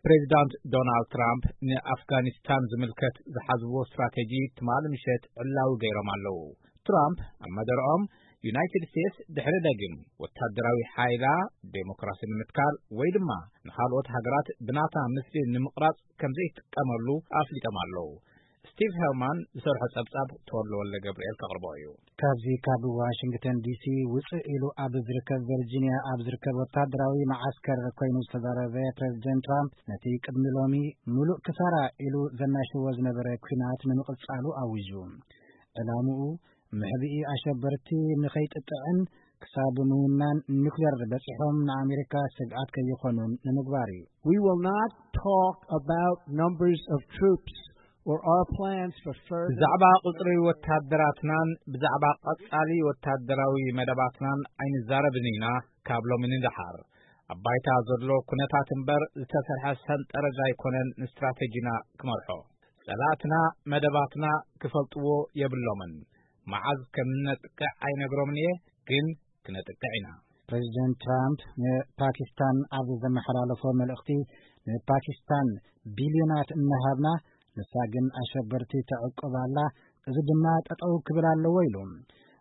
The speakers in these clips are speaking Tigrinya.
ፕሬዚዳንት ዶናልድ ትራምፕ ንኣፍጋኒስታን ዝምልከት ዝሓዝዎ ስትራቴጂ ትማሊ ምሸት ዕላዊ ገይሮም ኣለዉ። ትራምፕ ኣብ መደርኦም፣ ዩናይትድ ስቴትስ ድሕሪ ደጊም ወታደራዊ ሓይላ ዴሞክራሲ ንምትካል ወይ ድማ ንኻልኦት ሃገራት ብናታ ምስሊ ንምቕራጽ ከም ዘይትጥቀመሉ ኣፍሊጦም ኣለዉ። ስቲቭ ሄርማን ዝሰርሖ ጸብጻብ ተወልደ ወልደ ገብርኤል ከቕርቦ እዩ። ካብዚ ካብ ዋሽንግተን ዲሲ ውፅእ ኢሉ ኣብ ዝርከብ ቨርጂኒያ ኣብ ዝርከብ ወታደራዊ መዓስከር ኮይኑ ዝተዛረበ ፕሬዚደንት ትራምፕ፣ ነቲ ቅድሚ ሎሚ ሙሉእ ክሳራ ኢሉ ዘናሽዎ ዝነበረ ኲናት ንምቕጻሉ ኣዊጁ። ዕላምኡ፣ ምሕብኢ ኣሸበርቲ ንኸይጥጥዕን ክሳብ ምውናን ኒኩሌር በጺሖም ንኣሜሪካ ስግኣት ከይኾኑን ንምግባር እዩ። We will not talk about numbers of troops or our plans for further ብዛዕባ ቁጽሪ ወታደራትናን ብዛዕባ ቀጻሊ ወታደራዊ መደባትናን ኣይንዛረብን ኢና። ካብ ሎሚ ንደሓር ኣብ ባይታ ዘሎ ኩነታት እምበር ዝተሰርሐ ሰንጠረዥ ኣይኮነን ንስትራተጂና ክመርሖ። ጸላእትና መደባትና ክፈልጥዎ የብሎምን። መዓዝ ከም ነጥቅዕ ኣይነግሮምን እየ፣ ግን ክነጥቅዕ ኢና። ፕሬዚደንት ትራምፕ ንፓኪስታን ኣብ ዘመሓላለፎ መልእኽቲ፣ ንፓኪስታን ቢልዮናት እናሃብና፣ ንሳ ግን ኣሸበርቲ ተዕቁብ ኣላ፣ እዚ ድማ ጠጠው ክብል ኣለዎ ኢሉ።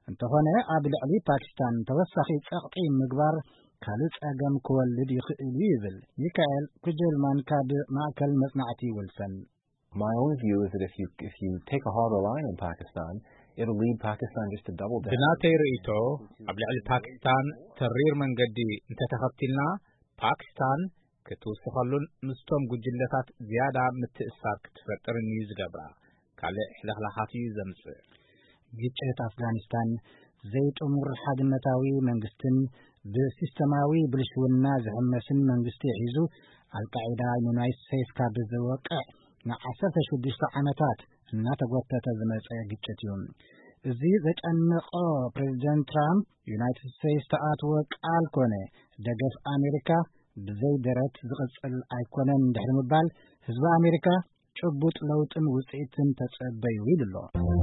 እንተኾነ ኣብ ልዕሊ ፓኪስታን ተወሳኺ ጸቕጢ ምግባር ካልእ ጸገም ክወልድ ይኽእል እዩ ይብል። ሚካኤል ኩጀልማን ካብ ማእከል መጽናዕቲ ዊልሰን። My own view is that if you, if you take a harder line on Pakistan, it'll lead Pakistan just to double down. ብናተይ ርእይቶ፣ ኣብ ልዕሊ ፓኪስታን ተሪር መንገዲ እንተተኸቲልና፣ ፓኪስታን ክትውስኸሉን ምስቶም ጉጅለታት ዝያዳ ምትእስሳር ክትፈጥርን እዩ ዝገብራ። ካልእ ሕልኽላኻት እዩ ዘምጽእ። ግጭት ኣፍጋኒስታን ዘይጥሙር ሓድነታዊ መንግስትን ብሲስተማዊ ብልሽውና ዝሕመስን መንግስቲ ሒዙ፣ ኣልቃዒዳ ንዩናይትድ ስቴትስ ካብ ዝወቅዕ ንዓሰርተ ሽዱሽተ ዓመታት እናተጎተተ ዝመጸ ግጭት እዩ። እዚ ዘጨንቆ ፕሬዚደንት ትራምፕ፣ ዩናይትድ ስቴትስ ተኣትዎ ቃል ኮነ ደገፍ ኣሜሪካ ብዘይ ደረት ዝቕጽል ኣይኮነን እንድሕሪ ምባል፣ ህዝቢ ኣሜሪካ ጭቡጥ ለውጥን ውጽኢትን ተጸበዩ ኢሉ ኣሎ።